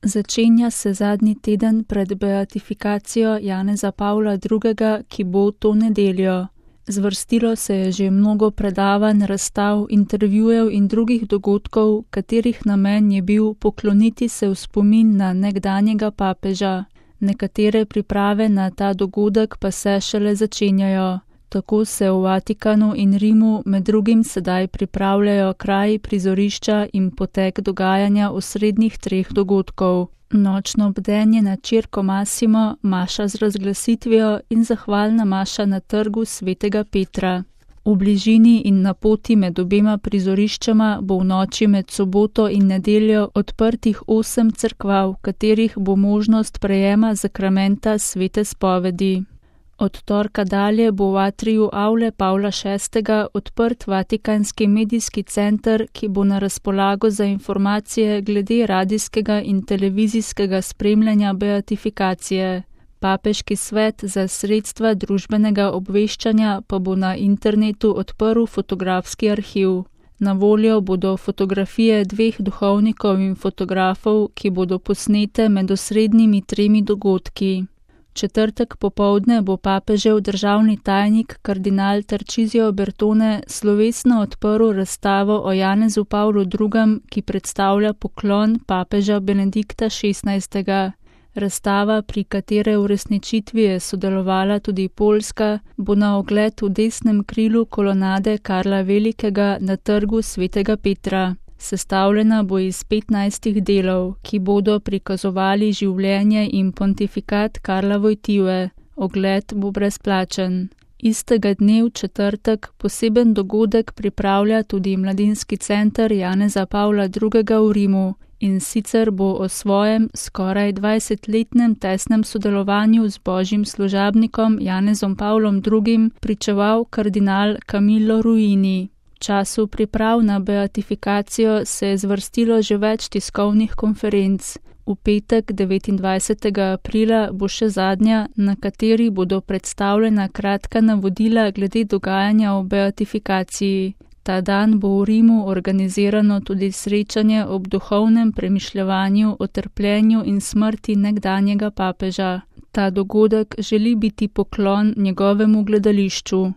Začenja se zadnji teden pred beatifikacijo Janeza Pavla II., ki bo to nedeljo. Zvrstilo se je že mnogo predavanj, razstav, intervjujev in drugih dogodkov, katerih namen je bil pokloniti se v spomin na nekdanjega papeža. Nekatere priprave na ta dogodek pa se šele začenjajo. Tako se v Vatikanu in Rimu med drugim sedaj pripravljajo kraji, prizorišča in potek dogajanja osrednjih 3 dogodkov. Nočno bdenje na Circo Massimo, maša z razglasitvijo in zahvalna maša na trgu Svetega Petra. V bližini in na poti med obema prizoriščama bo v noči med soboto in nedeljo odprtih 8 cerkva, v katerih bo možnost prejema zakramenta svete spovedi. Od torka dalje bo v atriju Avle Pavla VI. Odprt Vatikanski medijski center, ki bo na razpolago za informacije glede radijskega in televizijskega spremljanja beatifikacije. Papeški svet za sredstva družbenega obveščanja pa bo na internetu odprl fotografski arhiv. Na voljo bodo fotografije 2 duhovnikov in fotografov, ki bodo posnete med osrednjimi 3 dogodki. Četrtek popoldne bo papežev državni tajnik kardinal Tarcisio Bertone slovesno odprl razstavo o Janezu Pavlu II., ki predstavlja poklon papeža Benedikta XVI. Razstava, pri katere uresničitvi je sodelovala tudi Poljska, bo na ogled v desnem krilu kolonade Karla Velikega na trgu Svetega Petra. Sestavljena bo iz 15 delov, ki bodo prikazovali življenje in pontifikat Karla Wojtyły. Ogled bo brezplačen. Istega dne v četrtek poseben dogodek pripravlja tudi mladinski center Janeza Pavla II. V Rimu, in sicer bo o svojem skoraj 20-letnem tesnem sodelovanju z božjim služabnikom Janezom Pavlom II. Pričeval kardinal Camillo Ruini. V času priprav na beatifikacijo se je zvrstilo že več tiskovnih konferenc. V petek 29. aprila bo še zadnja, na kateri bodo predstavljena kratka navodila glede dogajanja o beatifikaciji. Ta dan bo v Rimu organizirano tudi srečanje ob duhovnem premišljevanju o trpljenju in smrti nekdanjega papeža. Ta dogodek želi biti poklon njegovemu gledališču.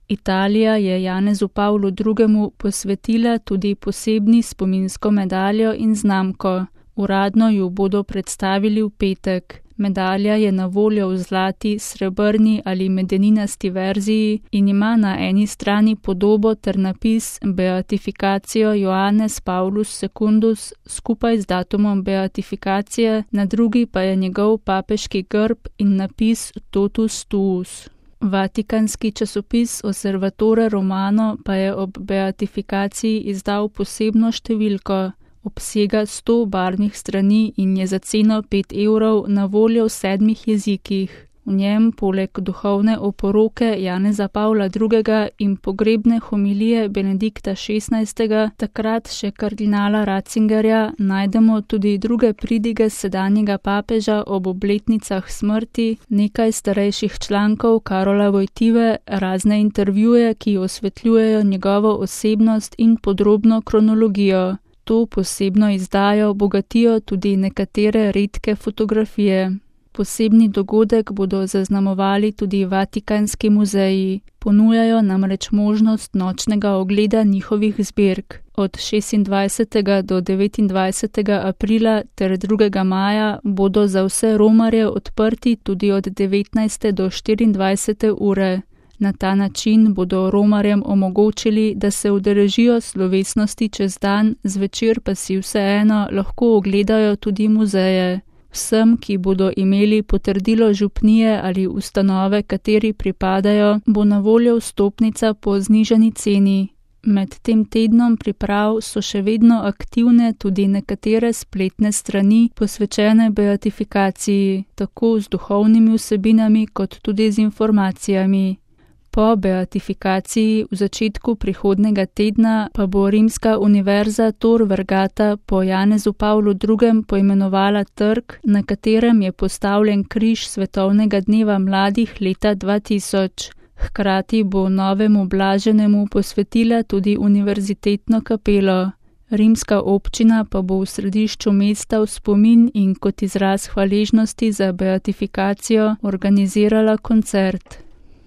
Italija je Janezu Pavlu II. Posvetila tudi posebni spominsko medaljo in znamko. Uradno jo bodo predstavili v petek. Medalja je na voljo v zlati, srebrni ali medeninasti verziji in ima na eni strani podobo ter napis Beatifikacijo Joannes Paulus Secundus skupaj z datumom beatifikacije, na drugi pa je njegov papeški grb in napis Totus Tuus. Vatikanski časopis Osservatore Romano pa je ob beatifikaciji izdal posebno številko. Obsega 100 barvnih strani in je za ceno 5 € na voljo v 7 jezikih. V njem poleg duhovne oporoke Janeza Pavla II. In pogrebne homilije Benedikta XVI., takrat še kardinala Ratzingerja, najdemo tudi druge pridige sedanjega papeža ob obletnicah smrti, nekaj starejših člankov Karola Wojtyły, razne intervjuje, ki osvetljujejo njegovo osebnost in podrobno kronologijo. To posebno izdajo bogatijo tudi nekatere redke fotografije. Posebni dogodek bodo zaznamovali tudi Vatikanski muzeji. Ponujajo namreč možnost nočnega ogleda njihovih zbirk. Od 26. do 29. aprila ter 2. maja bodo za vse romarje odprti tudi od 19. do 24. ure. Na ta način bodo romarjem omogočili, da se udeležijo slovesnosti čez dan, zvečer pa si vseeno lahko ogledajo tudi muzeje. Vsem, ki bodo imeli potrdilo župnije ali ustanove, kateri pripadajo, bo na voljo vstopnica po znižani ceni. Med tem tednom priprav so še vedno aktivne tudi nekatere spletne strani posvečene beatifikaciji, tako z duhovnimi vsebinami kot tudi z informacijami. Po beatifikaciji v začetku prihodnega tedna pa bo Rimska univerza Tor Vergata po Janezu Pavlu II. Poimenovala trg, na katerem je postavljen križ svetovnega dneva mladih leta 2000. Hkrati bo novemu blaženemu posvetila tudi univerzitetno kapelo. Rimska občina pa bo v središču mesta v spomin in kot izraz hvaležnosti za beatifikacijo organizirala koncert.